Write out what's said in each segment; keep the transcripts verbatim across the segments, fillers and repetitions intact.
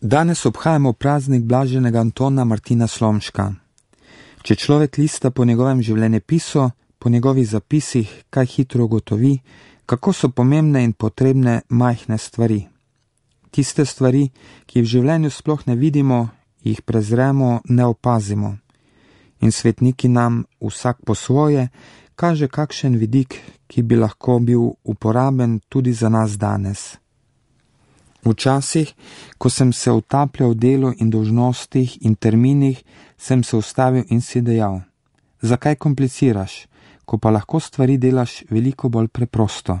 Danes obhajamo praznik blaženega Antona Martina Slomška. Če človek lista po njegovem življenjepisu, po njegovih zapisih, kaj hitro ugotovi, kako so pomembne in potrebne majhne stvari. Tiste stvari, ki v življenju sploh ne vidimo, jih prezremo, ne opazimo. In svetniki nam, vsak po svoje, kaže kakšen vidik, ki bi lahko bil uporaben tudi za nas danes. Včasih, ko sem se utapljal v delu in dolžnostih in terminih, sem se ustavil in si dejal: zakaj kompliciraš, ko pa lahko stvari delaš veliko bolj preprosto?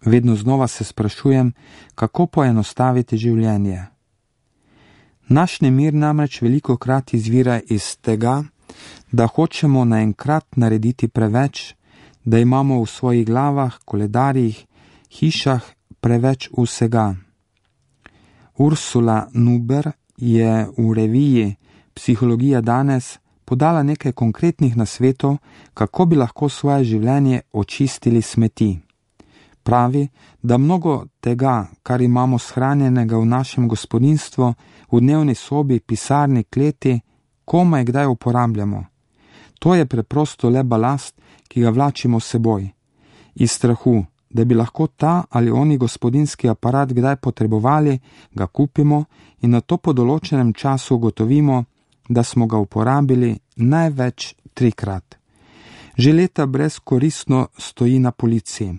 Vedno znova se sprašujem, kako poenostaviti življenje. Naš nemir namreč velikokrat izvira iz tega, da hočemo naenkrat narediti preveč, da imamo v svojih glavah, koledarjih, hišah preveč vsega. Ursula Nuber je v reviji Psihologija danes podala nekaj konkretnih nasvetov, kako bi lahko svoje življenje očistili smeti. Pravi, da mnogo tega, kar imamo shranjenega v našem gospodinjstvu, v dnevni sobi, pisarni, kleti, komaj kdaj uporabljamo. To je preprosto le balast, ki ga vlačimo s seboj. Iz strahu, da bi lahko ta ali oni gospodinjski aparat kdaj potrebovali, ga kupimo in na to po določenem času ugotovimo, da smo ga uporabili največ trikrat. Že leta brezkoristno stoji na policiji.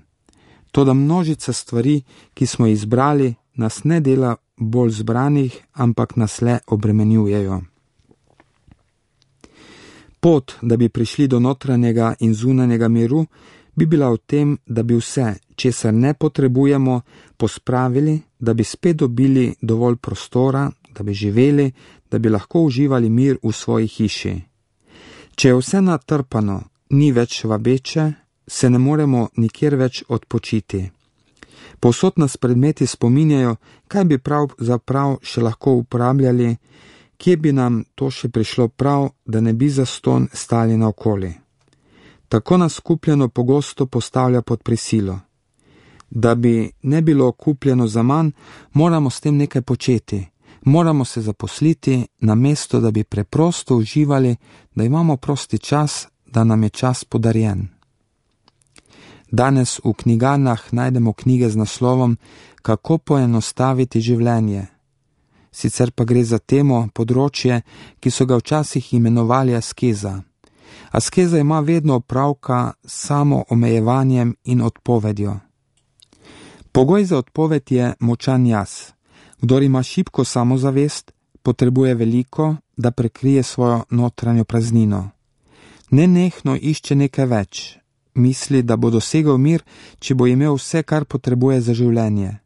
Toda množica stvari, ki smo izbrali, nas ne dela bolj zbranih, ampak nas le obremenjujejo. Pot, da bi prišli do notranjega in zunanjega miru, bi bila v tem, da bi vse, česar ne potrebujemo, pospravili, da bi spet dobili dovolj prostora, da bi živeli, da bi lahko uživali mir v svoji hiši. Če je vse natrpano, ni več vabeče, se ne moremo nikjer več odpočiti. Povsod nas predmeti spominjajo, kaj bi pravzaprav še lahko uporabljali, kje bi nam to še prišlo prav, da ne bi zastonj stali naokoli. Tako nas kupljeno pogosto postavlja pod prisilo. Da bi ne bilo kupljeno za manj, moramo s tem nekaj početi. Moramo se zaposliti, namesto da bi preprosto uživali, da imamo prosti čas, da nam je čas podarjen. Danes v knjigarnah najdemo knjige z naslovom Kako poenostaviti življenje. Sicer pa gre za temo, področje, ki so ga včasih imenovali askeza. Askeza ima vedno opravka s samo omejevanjem in odpovedjo. Pogoj za odpoved je močan jaz. Kdor ima šibko samozavest, potrebuje veliko, da prekrije svojo notranjo praznino. Nenehno išče nekaj več. Misli, da bo dosegel mir, če bo imel vse, kar potrebuje za življenje.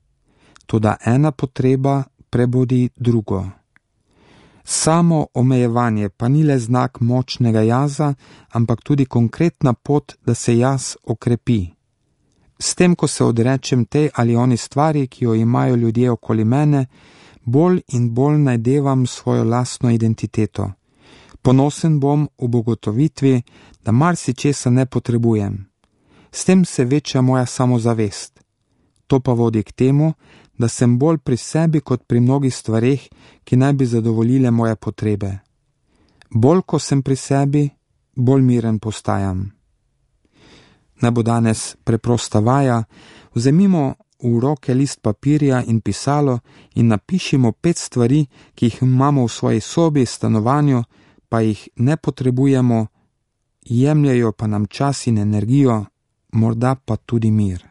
Toda ena potreba prebudi drugo. Samo omejevanje pa ni le znak močnega jaza, ampak tudi konkretna pot, da se jaz okrepi. S tem, ko se odrečem tej ali oni stvari, ki jo imajo ljudje okoli mene, bolj in bolj najdevam svojo lastno identiteto. Ponosen bom v ugotovitvi, da marsičesa ne potrebujem. S tem se veča moja samozavest. To pa vodi k temu, da sem bolj pri sebi kot pri mnogih stvareh, ki naj bi zadovoljile moje potrebe. Bolj ko sem pri sebi, bolj miren postajam. Naj bo danes preprosta vaja, vzemimo v roke list papirja in pisalo in napišimo pet stvari, ki jih imamo v svoji sobi, stanovanju, pa jih ne potrebujemo, jemljajo pa nam čas in energijo, morda pa tudi mir.